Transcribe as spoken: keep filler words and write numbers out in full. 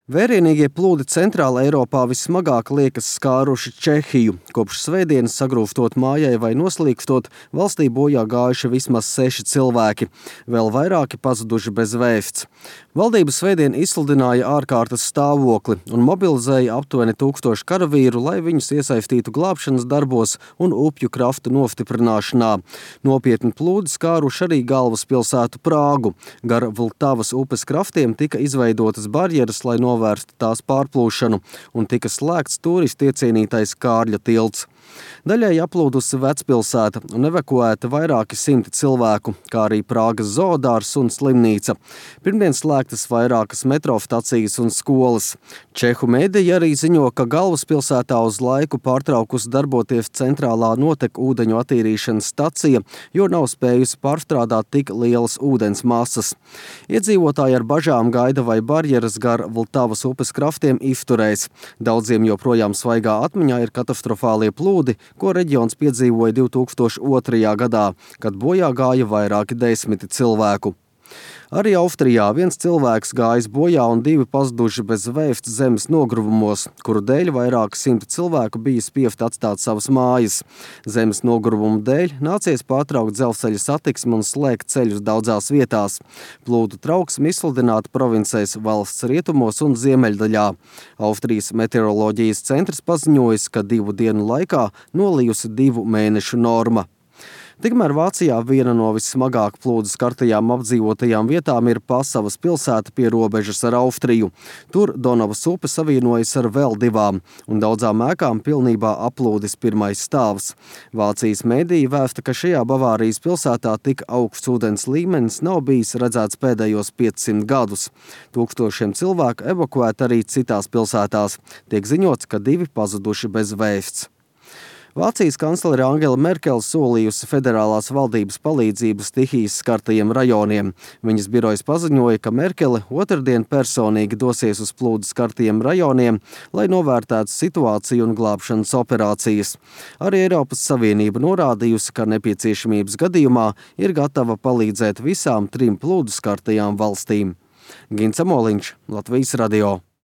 Vērienīgie plūdi Centrāla Eiropā vismagāk liekas skāruši Čehiju. Kopš svētdienas sagrūstot mājai vai noslīkstot, valstī bojā gājuši vismaz seši cilvēki. Vēl vairāki pazuduši bez vēsts. Valdība svētdien izsludināja ārkārtas stāvokli un mobilizēja aptuveni tūkstošu karavīru, lai viņus iesaistītu glābšanas darbos un upju kraftu nostiprināšanā. Nopietni plūdi skāruši arī galvaspilsētu Prāgu. Gar Vltavas upes kraftiem tika izveidotas barjeras, lai novērstu novērst tās pārplūšanu, un tika slēgts turistu iecienītais Kārļa tilts. Daļai aplūdusi vecpilsēta un evakuēta vairāki simti cilvēku, kā arī Prāgas zoodārs un slimnīca. Pirmdien slēgtas vairākas metro stacijas un skolas. Čehu mediji arī ziņo, ka galvaspilsētā uz laiku pārtraukusi darboties centrālā notekūdeņu attīrīšanas stacija, jo nav spējusi pārstrādāt tik lielas ūdens masas. Iedzīvotāji ar bažām gaida, vai barjeras gar Vltavas upes kraftiem izturēs. Daudziem joprojām svaigā atmiņā ir katastrofālie plūdi, ko reģions piedzīvoja divi tūkstoši otrajā gadā, kad bojā gāja vairāki desmiti cilvēku. Arī Austrijā viens cilvēks gājis bojā un divi pazuduši bez vēsts zemes nogruvumos, kuru dēļ vairāki simti cilvēku bija spiesti atstāt savas mājas. Zemes nogruvumu dēļ nācies pārtraukt dzelzceļa satiksmi un slēgt ceļus daudzās vietās. Plūdu trauksme izsludināta provincēs valsts rietumos un ziemeļdaļā. Austrijas meteoroloģijas centrs paziņojis, ka divu dienu laikā nolijusi divu mēnešu norma. Tikmēr Vācijā viena no vissmagāk plūdu skartajām apdzīvotajām vietām ir Pasavas pilsēta pie robežas ar Austriju. Tur Donavas upe savienojas ar vēl divām, un daudzām ēkām pilnībā aplūdis pirmais stāvs. Vācijas mediji vēsta, ka šajā Bavārijas pilsētā tik augsts ūdens līmenis nav bijis redzēts pēdējos piecsimt gadus. Tūkstošiem cilvēku evakuēti arī citās pilsētās. Tiek ziņots, ka divi pazuduši bez vēsts. Vācijas kanclere Angela Merkele solījusi federālās valdības palīdzību stihijas skartajiem rajoniem. Viņas birojas paziņoja, ka Merkele otrdien personīgi dosies uz plūdu skartajiem rajoniem, lai novērtētu situāciju un glābšanas operācijas. Arī Eiropas Savienība norādījusi, ka nepieciešamības gadījumā ir gatava palīdzēt visām trim plūdu skartajām valstīm. Gints Amoliņš, Latvijas radio.